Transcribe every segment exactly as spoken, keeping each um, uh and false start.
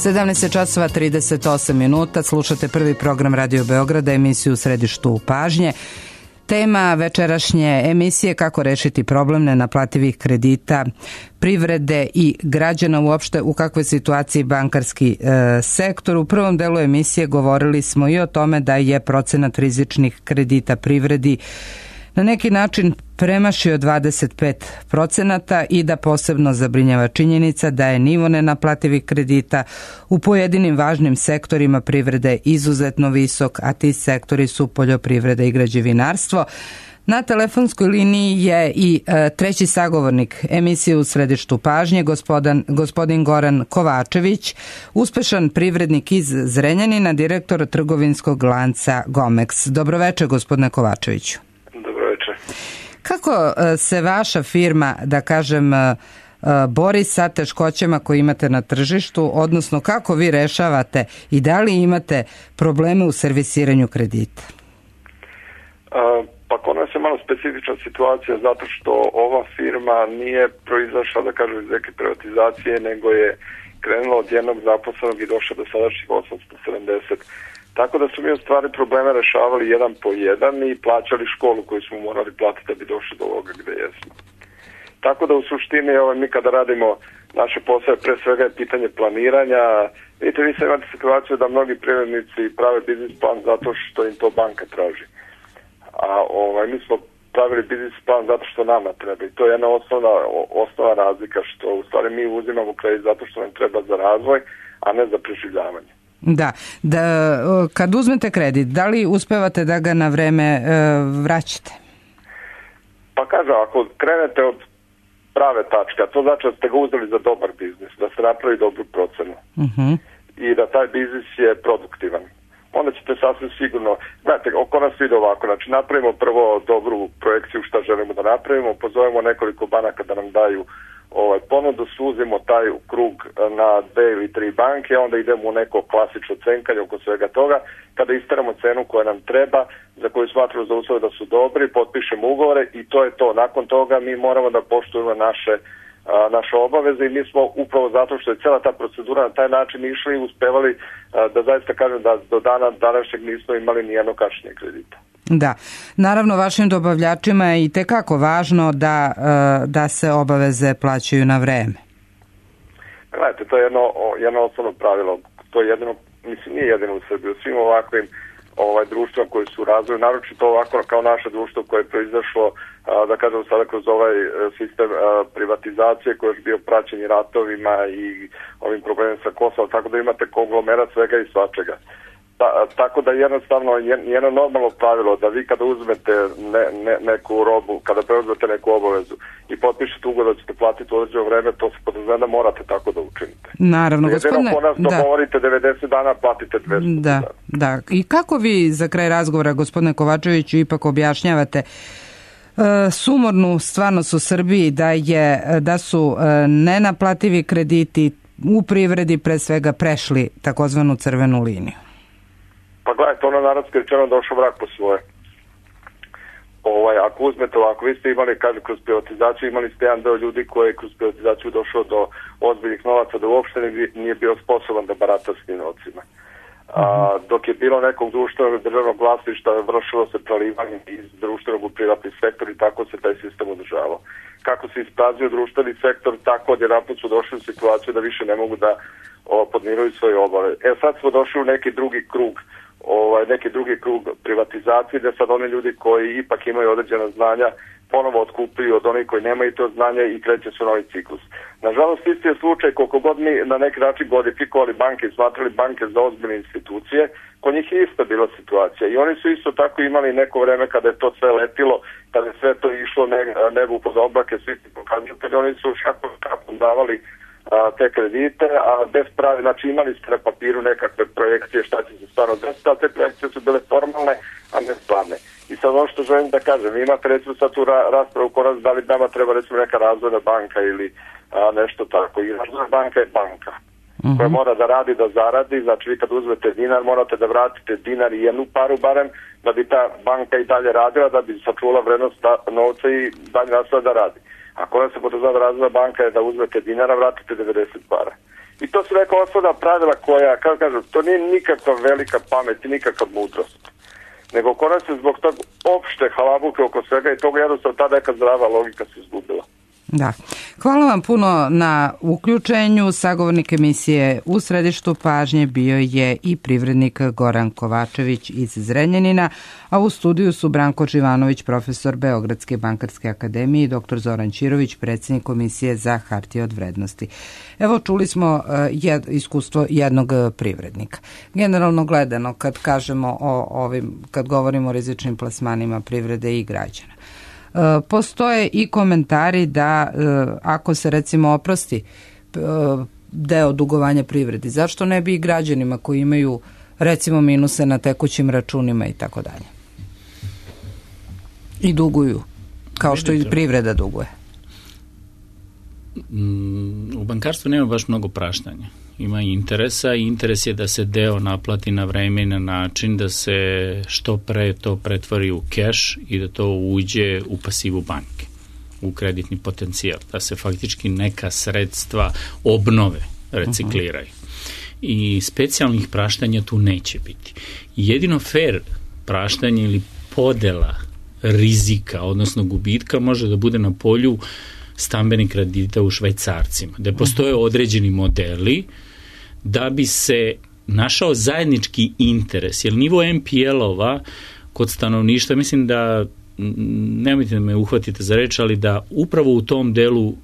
sedamnaest časova trideset osam minuta, slušate prvi program Radio Beograda, emisiju u središtu pažnje. Tema večerašnje emisije kako rešiti problem nenaplativih kredita privrede i građana, uopšte u kakvoj situaciji bankarski e, sektor. U prvom delu emisije govorili smo i o tome da je procenat rizičnih kredita privredi na neki način premašio dvadeset pet procenata i da posebno zabrinjava činjenica da je nivo nenaplativih kredita u pojedinim važnim sektorima privrede izuzetno visok, a ti sektori su poljoprivreda i građevinarstvo. Na telefonskoj liniji je i e, treći sagovornik emisije u središtu pažnje, gospodin, gospodin Goran Kovačević, uspešan privrednik iz Zrenjanina, direktor trgovinskog lanca Gomex. Dobroveče, gospodine Kovačeviću. Kako se vaša firma, da kažem, bori sa teškoćama koje imate na tržištu, odnosno kako vi rešavate i da li imate probleme u servisiranju kredita? Pa kod nas je malo specifična situacija zato što ova firma nije proizašla, da kažem, iz neke privatizacije, nego je krenula od jednog zaposlenog i došla do sadašnjih osamsto sedamdeset. Tako da su mi u stvari probleme rešavali jedan po jedan i plaćali školu koju smo morali platiti da bi došli do ovoga gde jesmo. Tako da u suštini ovaj, mi kada radimo naše posao, pre svega je pitanje planiranja. Vidite, vi sad imate situaciju da mnogi privrednici prave biznis plan zato što im to banka traži. A ovaj, mi smo pravili biznis plan zato što nama treba i to je jedna osnovna, osnovna razlika, što u stvari mi uzimamo kredit zato što nam treba za razvoj, a ne za preživljavanje. Da, da, kad uzmete kredit, da li uspevate da ga na vreme e, vraćate? Pa kažem, ako krenete od prave tačke, to znači da ste ga uzeli za dobar biznis, da se napravi dobru procenu uh-huh. i da taj biznis je produktivan. Onda ćete sasvim sigurno, gledajte, oko nas ide ovako, znači napravimo prvo dobru projekciju šta želimo da napravimo, pozovemo nekoliko banaka da nam daju ovaj, ponudu, suzimo taj krug na dve ili tri banke, onda idemo u neko klasično cenkanje oko svega toga. Kada isteramo cenu koja nam treba, za koju smatramo za uslove da su dobri, potpišemo ugovore i to je to. Nakon toga mi moramo da poštujemo naše, a, naše obaveze i mi smo upravo zato što je cijela ta procedura na taj način išli i uspevali a, da zaista kažem da do dana današnjeg nismo imali ni jedno kašnjenje kredita. Da, naravno vašim dobavljačima je i tekako važno da, da se obaveze plaćaju na vreme. Gledajte, to je jedno, jedno osnovno pravilo. To je jedino, mislim, nije jedino u Srbiji, u svim ovakvim ovaj, društvima koji su u razvoju, naročito ovako kao naše društvo koje je proizašlo, da kažem sada kroz ovaj sistem privatizacije koji je bio praćen ratovima i ovim problemima sa Kosovom, tako da imate konglomerat svega i svačega. Ta, tako da jednostavno jedno normalno pravilo da vi kada uzmete ne, ne, neku robu, kada preuzmete neku obavezu i potpišete ugovor da ćete platiti u određeno vreme, to se podrazumeva da morate tako da učinite. Naravno, gospodine. Jedino ko nas dogovorite da. devedeset dana, platite dvesta. Da, da. I kako vi za kraj razgovora, gospodine Kovačeviću, ipak objašnjavate uh, sumornu stvarnost u Srbiji da, je, da su uh, nenaplativi krediti u privredi pre svega prešli takozvanu crvenu liniju? Pa gledajte, ono narodski rečeno došao vrag po svoje. Ovaj, ako uzmete ovako, vi ste imali, kaže, kroz privatizaciju, imali ste jedan deo ljudi koji je kroz privatizaciju došao do ozbiljnih novaca, da uopšte nije bio sposoban da barata s tim novcima. A, dok je bilo nekog društvenog državnog vlasništva, vršilo se prelivanje iz društvenog u privatni sektor i tako se taj sistem održavao. Kako se isprazio društveni sektor, tako odjedanput su došli u situaciju da više ne mogu da o, podmiruju svoje obave. E sad smo došli u neki drugi krug Ovaj, neki drugi krug privatizacije, da sad oni ljudi koji ipak imaju određena znanja ponovo otkupljuju od onih koji nemaju to znanje i kreće se novi ciklus. Nažalost, isti je slučaj koliko god mi na neki način glorifikovali banke i smatrali banke za ozbiljne institucije, kod njih je isto bila situacija i oni su isto tako imali neko vreme kada je to sve letilo, kada je sve to išlo nebo pod oblake, svi ti pokazatelji, oni su šako kako davali a, te kredite, a bez pravi, znači imali ste na papiru nekakve projekcije šta će se stvarno desiti, ali te projekcije su bile formalne, a ne stvarne. I sad ono što želim da kažem, vi imate recimo sad tu ra- raspravu kod nas da li nama treba recimo neka razvojna banka ili a, nešto tako. I razvojna banka je banka uh-huh. koja mora da radi, da zaradi, znači vi kad uzmete dinar morate da vratite dinar i jednu paru barem da bi ta banka i dalje radila, da bi sačuvala vrednost novca i dalje nastavila da radi. Ako ona se podrazumeva da razvojna banka je da uzmete dinara, vratite devedeset para. I to su neka osnovna pravila koja, kako kažem, to nije nikakva velika pamet i nikakva mudrost. Nego konac se zbog tog opšte halabuke oko svega i toga jednostavno ta neka zdrava logika se izgubila. Da. Hvala vam puno na uključenju. Sagovornik emisije U središtu pažnje bio je i privrednik Goran Kovačević iz Zrenjanina, a u studiju su Branko Živanović, profesor Beogradske bankarske akademije, i doktor Zoran Ćirović, predsjednik Komisije za hartije od vrednosti. Evo, čuli smo jed, iskustvo jednog privrednika. Generalno gledano, kad kažemo o ovim, kad govorimo o rizičnim plasmanima privrede i građana, postoje i komentari da ako se recimo oprosti deo dugovanja privredi, zašto ne bi i građanima koji imaju recimo minuse na tekućim računima i tako dalje i duguju kao što i privreda duguje? U bankarstvu nema baš mnogo praštanja. Ima interesa i interes je da se deo naplati na vreme i na način da se što pre to pretvori u keš i da to uđe u pasivu banke, u kreditni potencijal, da se faktički neka sredstva obnove, recikliraju. Uh-huh. I specijalnih praštanja tu neće biti. Jedino fair praštanje ili podela rizika, odnosno gubitka, može da bude na polju stambenih kredita u švajcarcima, gde postoje određeni modeli da bi se našao zajednički interes, jer nivo em pe el-ova kod stanovništva, mislim da, nemojte da me uhvatite za reč, ali da upravo u tom delu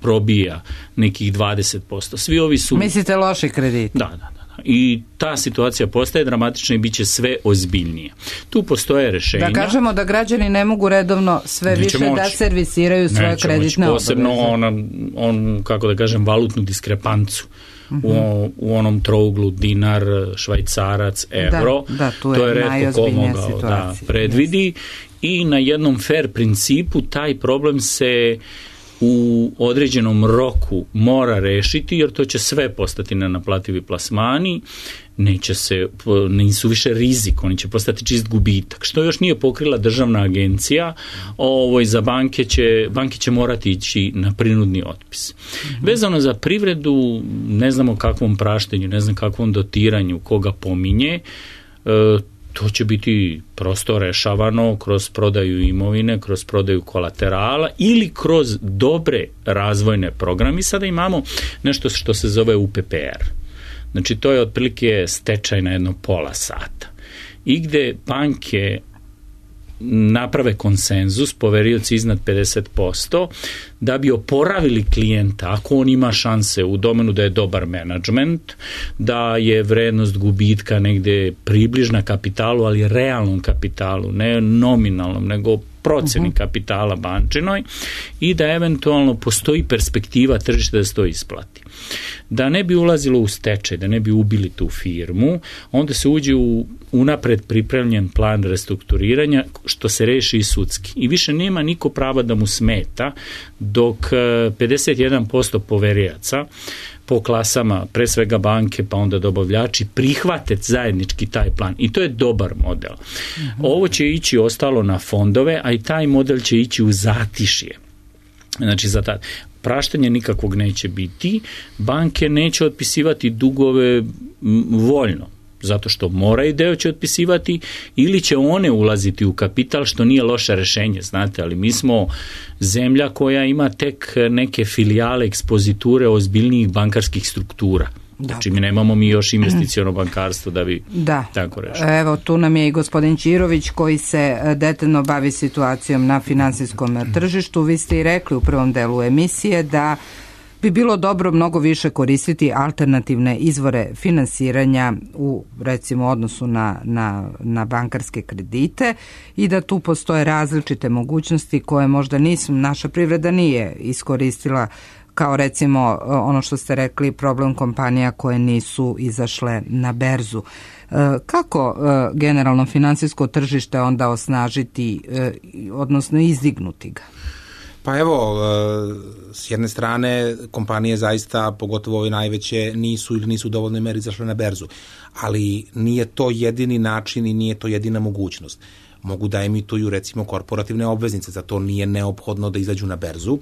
probija nekih dvadeset posto. Svi ovi su... Mislite loši krediti? Da, da, da. I ta situacija postaje dramatična i bit će sve ozbiljnije. Tu postoje rešenja. Da kažemo da građani ne mogu redovno sve više moći da servisiraju svoje Neće kreditne moći, posebno obaveze. Posebno on, on, kako da kažem, valutnu diskrepancu. Uh-huh. U, u onom trouglu dinar, švajcarac, evro. Da, da, tu je, to je retko ko mogao da predvidi. Yes. I na jednom fair principu taj problem se u određenom roku mora rešiti, jer to će sve postati nenaplativi plasmani, neće se, nisu više rizik, oni će postati čist gubitak, što još nije pokrila državna agencija. Ovo, za banke će, banke će morati ići na prinudni otpis. Mm-hmm. Vezano za privredu, ne znamo kakvom praštenju, ne znam kakvom dotiranju, koga pominje, e, to će biti prosto rešavano kroz prodaju imovine, kroz prodaju kolaterala ili kroz dobre razvojne programe. I sada imamo nešto što se zove u pe pe er. Znači, to je otprilike stečaj na jedno pola sata. I gde banke naprave konsenzus, poverioci iznad pedeset posto, da bi oporavili klijenta, ako on ima šanse u domenu da je dobar menadžment, da je vrednost gubitka negde približna kapitalu, ali realnom kapitalu, ne nominalnom, nego proceni uh-huh. kapitala bančinoj, i da eventualno postoji perspektiva tržišta da se to isplati. Da ne bi ulazilo u stečaj, da ne bi ubili tu firmu, onda se uđe u unapred pripremljen plan restrukturiranja, što se reši i sudski. I više nema niko prava da mu smeta, dok pedeset jedan posto poverijaca po klasama, pre svega banke, pa onda dobavljači, prihvate zajednički taj plan. I to je dobar model. Uh-huh. Ovo će ići ostalo na fondove, a i taj model će ići u zatišje. Znači, za ta praštanje nikakvog neće biti. Banke neće otpisivati dugove voljno, zato što moraju deo će otpisivati, ili će one ulaziti u kapital, što nije loše rešenje, znate, ali mi smo zemlja koja ima tek neke filijale, ekspoziture ozbiljnijih bankarskih struktura. Znači, mi nemamo mi još investiciono bankarstvo da bi da. tako rešili. Evo, tu nam je i gospodin Ćirović koji se detaljno bavi situacijom na finansijskom tržištu. Vi ste i rekli u prvom delu emisije da bi bilo dobro mnogo više koristiti alternativne izvore finansiranja u, recimo, odnosu na, na, na bankarske kredite i da tu postoje različite mogućnosti koje možda nisu, naša privreda nije iskoristila, kao recimo ono što ste rekli, problem kompanija koje nisu izašle na berzu. Kako generalno finansijsko tržište onda osnažiti, odnosno izdignuti ga? Pa evo, s jedne strane kompanije zaista, pogotovo ove najveće, nisu ili nisu u dovoljnoj meri izašle na berzu, ali nije to jedini način i nije to jedina mogućnost. mogu da emituju recimo korporativne obveznice, za to nije neophodno da izađu na berzu.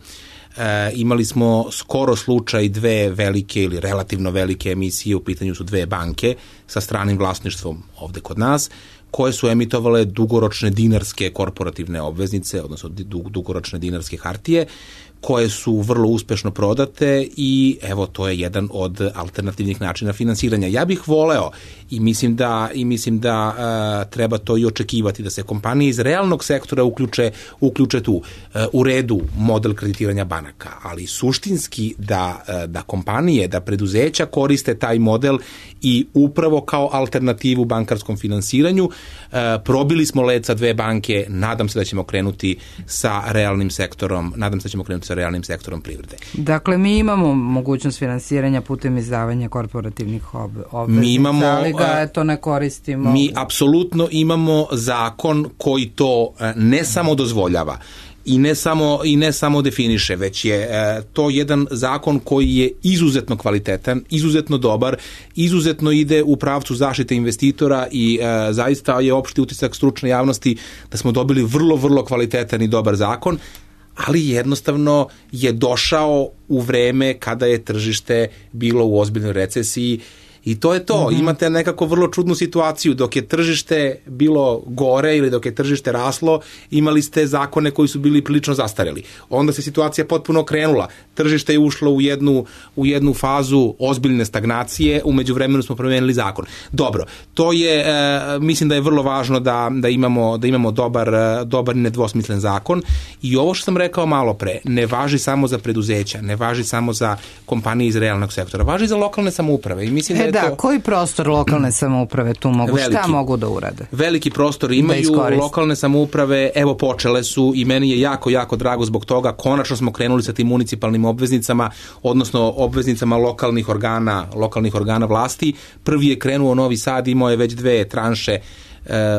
E, imali smo skoro slučaj dve velike ili relativno velike emisije, u pitanju su dve banke sa stranim vlasništvom ovde kod nas, koje su emitovale dugoročne dinarske korporativne obveznice, odnosno dugoročne dinarske hartije, koje su vrlo uspešno prodate i evo to je jedan od alternativnih načina finansiranja. Ja bih voleo i mislim da i mislim da uh, treba to i očekivati da se kompanije iz realnog sektora uključe uključe tu uh, u redu model kreditiranja banaka, ali suštinski da uh, da kompanije, da preduzeća koriste taj model i upravo kao alternativu bankarskom finansiranju. Uh, probili smo led sa dve banke, nadam se da ćemo krenuti sa realnim sektorom, nadam se da ćemo krenuti sa realnim sektorom privrede. Dakle, mi imamo mogućnost finansiranja putem izdavanja korporativnih ob obveznica, mi imamo, ali ga eto ne koristimo. Mi apsolutno imamo zakon koji to ne samo dozvoljava i ne samo i ne samo definiše, već je e, to jedan zakon koji je izuzetno kvalitetan, izuzetno dobar, izuzetno ide u pravcu zaštite investitora i e, zaista je opšti utisak stručne javnosti da smo dobili vrlo, vrlo kvalitetan i dobar zakon, ali jednostavno je došao u vreme kada je tržište bilo u ozbiljnoj recesiji i to je to. Mm-hmm. Imate nekako vrlo čudnu situaciju. Dok je tržište bilo gore ili dok je tržište raslo, imali ste zakone koji su bili prilično zastareli. Onda se situacija potpuno okrenula. Tržište je ušlo u jednu, u jednu fazu ozbiljne stagnacije, u međuvremenu smo promenili zakon. Dobro, to je, e, mislim da je vrlo važno da, da imamo, da imamo dobar, dobar i nedvosmislen zakon i ovo što sam rekao malo pre, ne važi samo za preduzeća, ne važi samo za kompanije iz realnog sektora, važi za lokalne samouprave i mislim da je Da, to... koji prostor lokalne samouprave tu mogu, veliki, šta mogu da urade? Veliki prostor imaju, lokalne samouprave, evo počele su i meni je jako, jako drago zbog toga, konačno smo krenuli sa tim municipalnim obveznicama, odnosno obveznicama lokalnih organa, lokalnih organa vlasti. Prvi je krenuo Novi Sad, imao je već dve tranše e,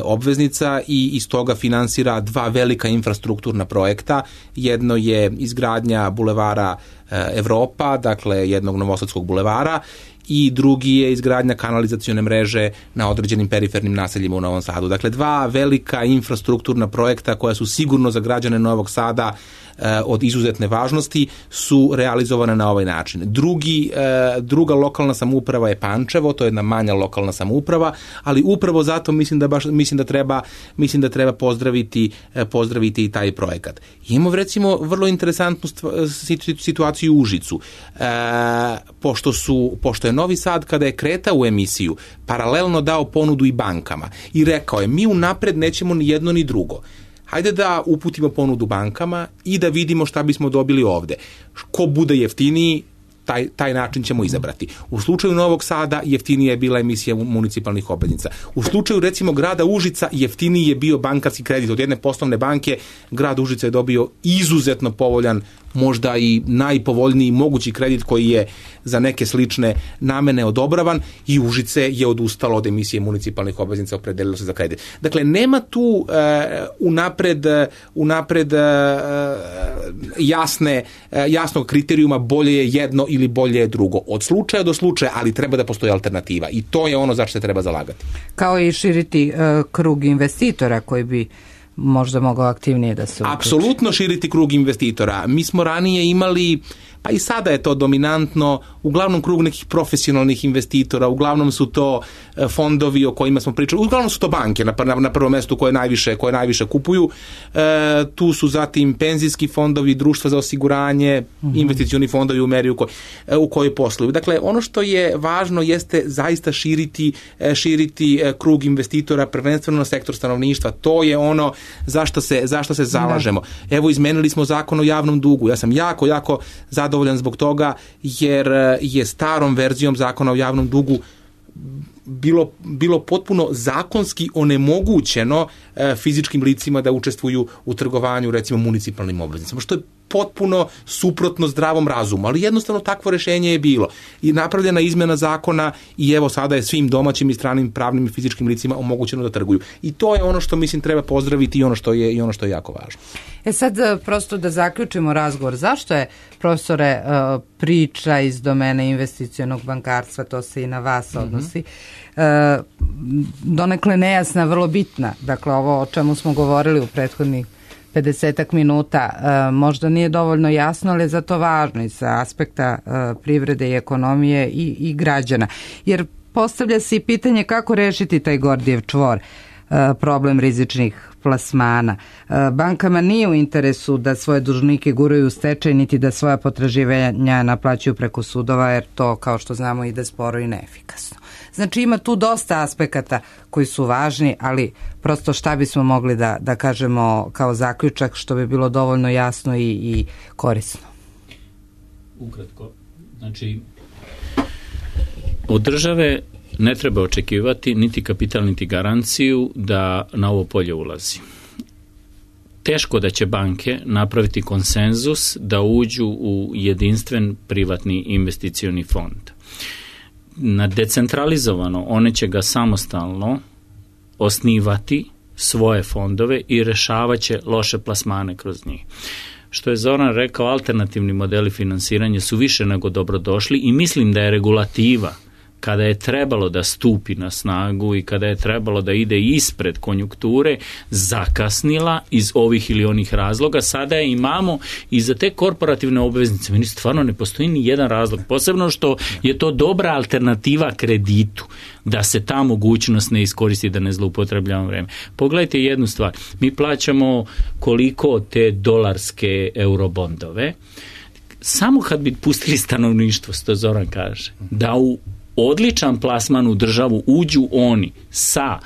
obveznica i iz toga finansira dva velika infrastrukturna projekta. Jedno je izgradnja bulevara e, Evropa, dakle jednog novosadskog bulevara, i drugi je izgradnja kanalizacione mreže na određenim perifernim naseljima u Novom Sadu. Dakle, dva velika infrastrukturna projekta koja su sigurno za građane Novog Sada e, od izuzetne važnosti su realizovane na ovaj način. Drugi, e, druga lokalna samouprava je Pančevo, to je jedna manja lokalna samouprava, ali upravo zato mislim da baš mislim da treba mislim da treba pozdraviti e, pozdraviti i taj projekat. Imamo recimo vrlo interesantnu situaciju u Užicu. E, pošto su pošto je Novi Sad kada je kretao u emisiju paralelno dao ponudu i bankama i rekao je mi unapred nećemo ni jedno ni drugo. Hajde da uputimo ponudu bankama i da vidimo šta bismo dobili ovde. Ko bude jeftiniji, taj, taj način ćemo izabrati. U slučaju Novog Sada jeftinija je bila emisija municipalnih obveznica. U slučaju recimo grada Užica jeftiniji je bio bankarski kredit. Od jedne poslovne banke grad Užica je dobio izuzetno povoljan, možda i najpovoljniji mogući kredit koji je za neke slične namene odobravan i Užice je odustalo od emisije municipalnih obveznica, opredelilo se za kredit. Dakle, nema tu uh, unapred, unapred uh, jasne, uh, jasnog kriterijuma bolje je jedno ili bolje je drugo. Od slučaja do slučaja, ali treba da postoji alternativa i to je ono za što se treba zalagati. Kao i širiti uh, krug investitora koji bi možda mogao aktivnije da se uključi. Apsolutno širiti krug investitora. Mi smo ranije imali, pa i sada je to dominantno, uglavnom krug nekih profesionalnih investitora, uglavnom su to fondovi o kojima smo pričali, uglavnom su to banke na, na, na prvom mestu koje najviše, koje najviše kupuju. E, tu su zatim penzijski fondovi, društva za osiguranje, mm-hmm. investicioni fondovi u meri u, koj, u kojoj posluju. Dakle, ono što je važno jeste zaista širiti, širiti krug investitora, prvenstveno na sektor stanovništva. To je ono zašto se, zašto se zalažemo. Da. Evo, izmenili smo zakon o javnom dugu. Ja sam jako, jako zadovoljan zbog toga jer je starom verzijom zakona o javnom dugu bilo, bilo potpuno zakonski onemogućeno e, fizičkim licima da učestvuju u trgovanju recimo municipalnim obveznicama, što je potpuno suprotno zdravom razumu, ali jednostavno takvo rešenje je bilo. I napravljena izmena zakona i evo sada je svim domaćim i stranim pravnim i fizičkim licima omogućeno da trguju. I to je ono što mislim treba pozdraviti i ono što je, i ono što je jako važno. E sad prosto da zaključimo razgovor, zašto je, profesore, priča iz domene investicionog bankarstva, to se i na vas odnosi, mm-hmm. donekle nejasna, vrlo bitna. Dakle, ovo o čemu smo govorili u prethodnih pedesetak minuta možda nije dovoljno jasno, ali je zato važno i sa aspekta privrede i ekonomije i, i građana. Jer postavlja se i pitanje kako rešiti taj Gordijev čvor, problem rizičnih plasmana. Bankama nije u interesu da svoje dužnike guraju u stečaj, niti da svoja potraživanja naplaćuju preko sudova, jer to, kao što znamo, ide sporo i neefikasno. Znači, ima tu dosta aspekata koji su važni, ali prosto šta bismo mogli da, da kažemo kao zaključak, što bi bilo dovoljno jasno i, i korisno? Ukratko, znači, od države ne treba očekivati niti kapital, niti garanciju da na ovo polje ulazi. Teško da će banke napraviti konsenzus da uđu u jedinstven privatni investicioni fond. Na decentralizovano, one će ga samostalno osnivati svoje fondove i rešavat će loše plasmane kroz njih. Što je Zoran rekao, alternativni modeli finansiranja su više nego dobrodošli i mislim da je regulativa kada je trebalo da stupi na snagu i kada je trebalo da ide ispred konjunkture, zakasnila iz ovih ili onih razloga. Sada je imamo i za te korporativne obveznice. Meni stvarno ne postoji ni jedan razlog. Posebno što je to dobra alternativa kreditu, da se ta mogućnost ne iskoristi, da ne zloupotrebljavamo vreme. Pogledajte jednu stvar. Mi plaćamo koliko te dolarske eurobondove. Samo kad bi pustili stanovništvo, što Zoran kaže, da u odličan plasman u državu uđu oni sa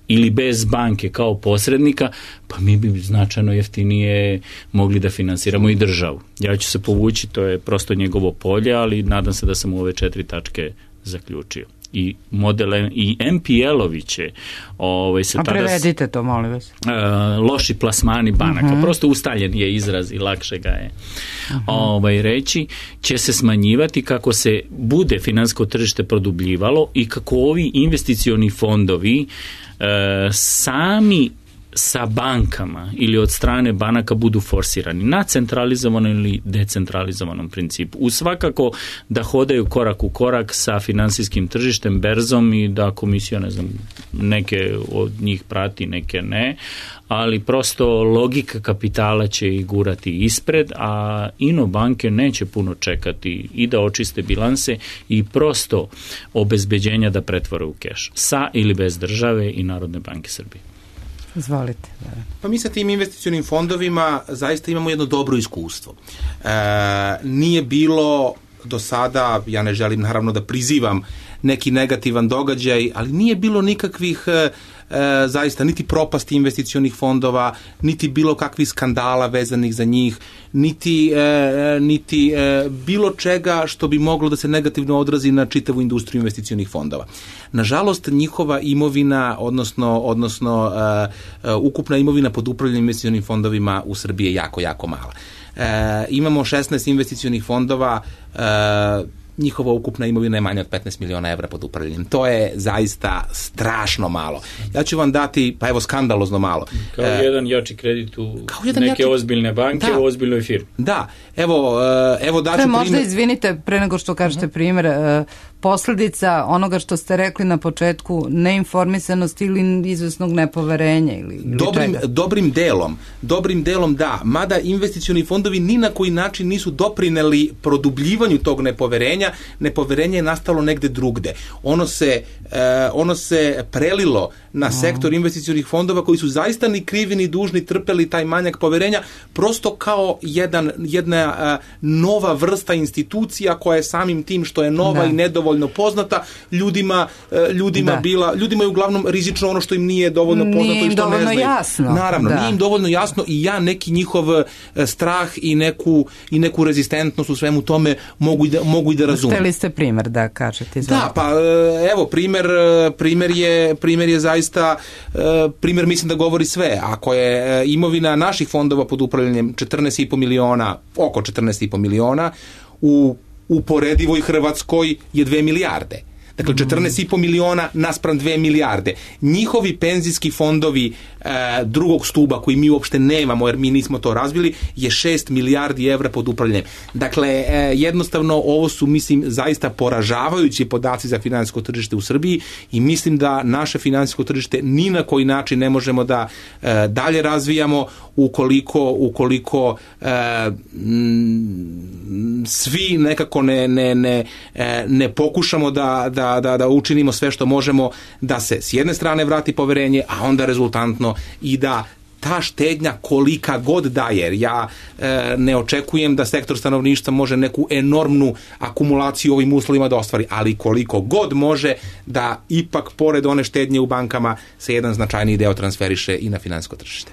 ili bez banke kao posrednika, pa mi bi značajno jeftinije mogli da finansiramo i državu. Ja ću se povući, to je prosto njegovo polje, ali nadam se da sam u ove četiri tačke zaključio. I modele i em pe el-ovi će ovaj, se A tada... prevedite to, molim vas. Uh, loši plasmani banaka, uh-huh. prosto ustaljen je izraz i lakše ga je uh-huh. ovaj, reći, će se smanjivati kako se bude finansijsko tržište produbljivalo i kako ovi investicioni fondovi uh, sami sa bankama ili od strane banaka budu forsirani na centralizovanom ili decentralizovanom principu. U svakako da hodaju korak u korak sa finansijskim tržištem, berzom i da komisija, ne znam, neke od njih prati, neke ne, ali prosto logika kapitala će ih gurati ispred, a ino banke neće puno čekati i da očiste bilanse i prosto obezbeđenja da pretvore u keš, sa ili bez države i Narodne banke Srbije. Izvolite. Pa mi sa tim investicionim fondovima zaista imamo jedno dobro iskustvo. E, nije bilo do sada, ja ne želim naravno da prizivam neki negativan događaj, ali nije bilo nikakvih e, zaista niti propasti investicionih fondova, niti bilo kakvih skandala vezanih za njih, niti, e, niti e, bilo čega što bi moglo da se negativno odrazi na čitavu industriju investicionih fondova. Nažalost, njihova imovina, odnosno, odnosno e, e, ukupna imovina pod upravljanjem investicionim fondovima u Srbiji je jako, jako mala. E, imamo šesnaest investicionih fondova, e, njihova ukupna imovina je manja od petnaest miliona evra pod upravljanjem. To je zaista strašno malo. Ja ću vam dati, pa evo, skandalozno malo. Kao e, jedan jači kredit u neke jači... ozbiljne banke, da, u ozbiljnoj firmi. Da, evo, evo daću primjer. Možda izvinite, pre nego što kažete uh-huh. primjer, posljedica onoga što ste rekli na početku, neinformisanost ili izvesnog nepoverenja ili, ili dobrim, dobrim delom, dobrim delom da, mada investicioni fondovi ni na koji način nisu doprineli produbljivanju tog nepoverenja, nepoverenje je nastalo negde drugde. Ono se, eh, ono se prelilo na uh-huh. sektor investicionih fondova koji su zaista ni krivi ni dužni trpeli taj manjak poverenja, prosto kao jedan, jedna uh, nova vrsta institucija koja je samim tim što je nova da. i nedovoljna dovoljno poznata, ljudima, ljudima, bila, ljudima je uglavnom rizično ono što im nije dovoljno poznato nije i što ne znaju. Jasno. Naravno, da. Nije im dovoljno jasno i ja neki njihov strah i neku, i neku rezistentnost u svemu tome mogu i da, mogu i da razumijem. Hteli ste primjer da kažete? Izvolite. Da, pa evo, primjer, primjer, je, primjer je zaista, primjer mislim da govori sve. Ako je imovina naših fondova pod upravljanjem četrnaest i po miliona, oko četrnaest i po miliona, u uporedivoj Hrvatskoj je dve milijarde. Dakle, četrnaest i po miliona naspram dve milijarde. Njihovi penzijski fondovi e, drugog stuba, koji mi uopšte nemamo, jer mi nismo to razvili, je šest milijardi evra pod upravljanjem. Dakle, e, jednostavno, ovo su, mislim, zaista poražavajući podaci za finansijsko tržište u Srbiji i mislim da naše finansijsko tržište ni na koji način ne možemo da e, dalje razvijamo ukoliko, ukoliko e, m, svi nekako ne, ne, ne, ne pokušamo da, da Da, da učinimo sve što možemo da se s jedne strane vrati poverenje, a onda rezultantno i da ta štednja kolika god daje, jer ja e, ne očekujem da sektor stanovništva može neku enormnu akumulaciju ovim uslovima da ostvari, ali koliko god može da ipak pored one štednje u bankama se jedan značajniji deo transferiše i na finansijsko tržište.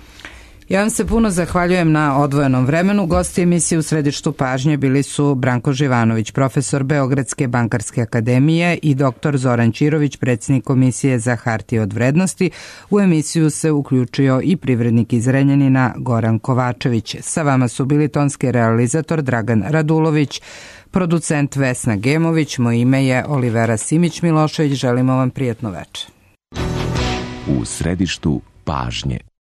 Ja vam se puno zahvaljujem na odvojenom vremenu. Gosti emisije u središtu pažnje bili su Branko Živanović, profesor Beogradske bankarske akademije, i doktor Zoran Ćirović, predsjednik Komisije za hartije od vrednosti. U emisiju se uključio i privrednik iz Renjanina Goran Kovačević. Sa vama su bili tonski realizator Dragan Radulović, producent Vesna Gemović, moje ime je Olivera Simić-Milošević. Želimo vam prijatno večer. U središtu pažnje.